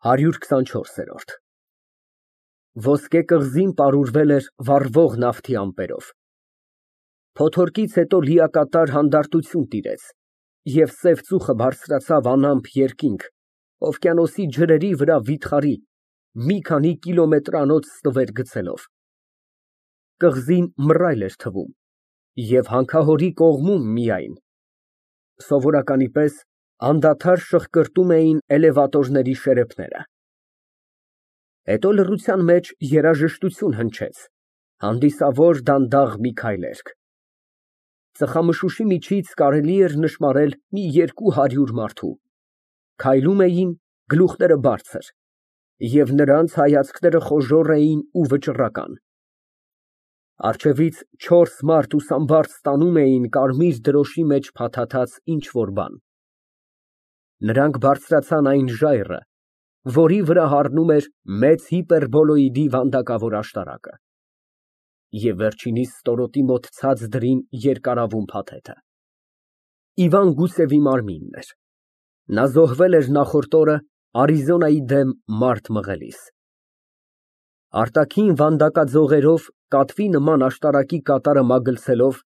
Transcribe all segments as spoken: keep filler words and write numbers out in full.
հարյուր քսանչորս։ Ոսկե կղզին պարուրվել էր վառվող նավթի ամպերով։ Փոթորկից հետո լիակատար հանդարտություն տիրեց, և սև ծուխը բարձրացավ անամպ երկինք, օվկիանոսի ջրերի վրա վիթխարի, մի քանի կիլոմետրանոց ստվեր գցելով։ Կղզին մռայլ էր թվում և հանքահորի կողմում միայն, սովորականի պես, անդադար շղկրտում էին էլևատորների շերեփները։ Հետո լռության մեջ երաժշտություն հնչեց, հանդիսավոր դանդաղ մի քայլերգ։ Ծխամշուշի միջից կարելի էր նշմարել մի երկու հարյուր մարդու, քայլում էին, գլուխները բարձր, և նրանց հայացքները խոժոռ էին ու վճռական։ Առջևից չորս մարդ ուսամբարձ տանում էին կարմիր դրոշի մեջ փաթաթած ինչ֊որ բան։ Նրանք բարձրացան այն ժայռը, որի վրա հառնում էր մեծ հիպերբոլոիդի վանդակավոր աշտարակը, և վերջինիս ստորոտի մոտ ցած դրին երկարավուն փաթեթը։ Իվան Գուսևի մարմինն էր։ Նա զոհվել էր նախորդ օրը Արիզոնայի դեմ մարդ մղելիս։ Արտաքին վանդակաձողերով կատվի նման աշտարակի կատարը մագլցելով,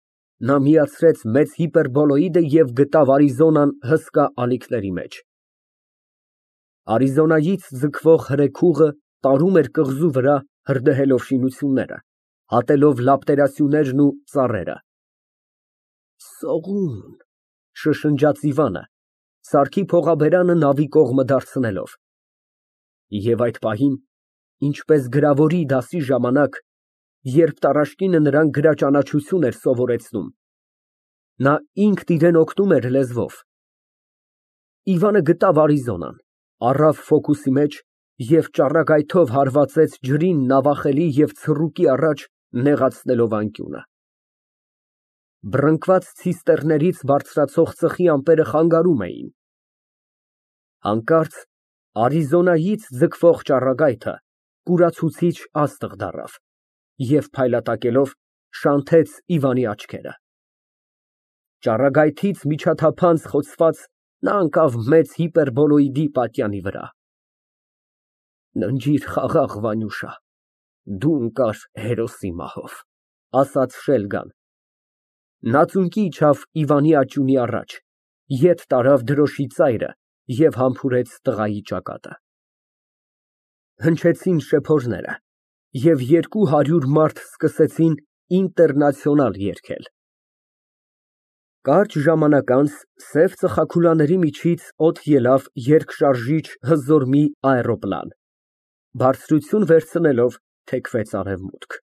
նա միացրեց մեծ հիպերբոլոիդը և գտավ Արիզոնան հսկա ալիքների մեջ։ Արիզոնայից ձգվող հրեգուղը տարում էր կղզու վրա, հրդեհելով շինությունները, հատելով լապտերասյուներն ու ծառերը։ Սողուն, շշնջաց Իվանը, սարքի փողաբերանը նավի կողմը դարձնելով։ Եվ այդ պահին, ինչպես գրավորի դասի ժամանակ, երբ տառաշկինը նրան գրաճանաչություն էր սովորեցնում, նա ինքն իրան օգնում էր լեզվով, Իվանը գտավ Արիզոնան, առավ ֆոկուսի մեջ և ճառագայթով հարվածեց ջրին նավախելի և ցռուկի առաջ, նեղացնելով անկյունը։ Բռնկված ցիստեռներից բարձրացող ծխի ամպերը խանգարում էին։ Հանկարծ Արիզոնայից ձգվող ճառագայթը կուրացուցիչ աստղ դառավ և փայլատակելով շանթեց Իվանի աչքերը։ Ճառագայթից միջաթափանց խոցված, նա ընկավ մեծ հիպերբոլոիդի պատյանի վրա։ Ննջիր խաղաղ, Վանյուշա, դու ընկար հերոսի մահով, ասաց Շելգան։ Նա ծունկի իջավ Իվանի աճյունի առաջ, ետ տարավ դրոշի ծայրը և համբուրեց տղայի ճակատը։ Հնչեցին շեփորները, և երկու հարյուր մարդ սկսեցին Ինտերնացիոնալ երգել։ Կարճ ժամանակ անց սև ծխախուլաների միջից օդ ելավ երկշարժիչ հզոր մի աէրոպլան, բարձրություն վերցնելով թեքվեց արևմուտք։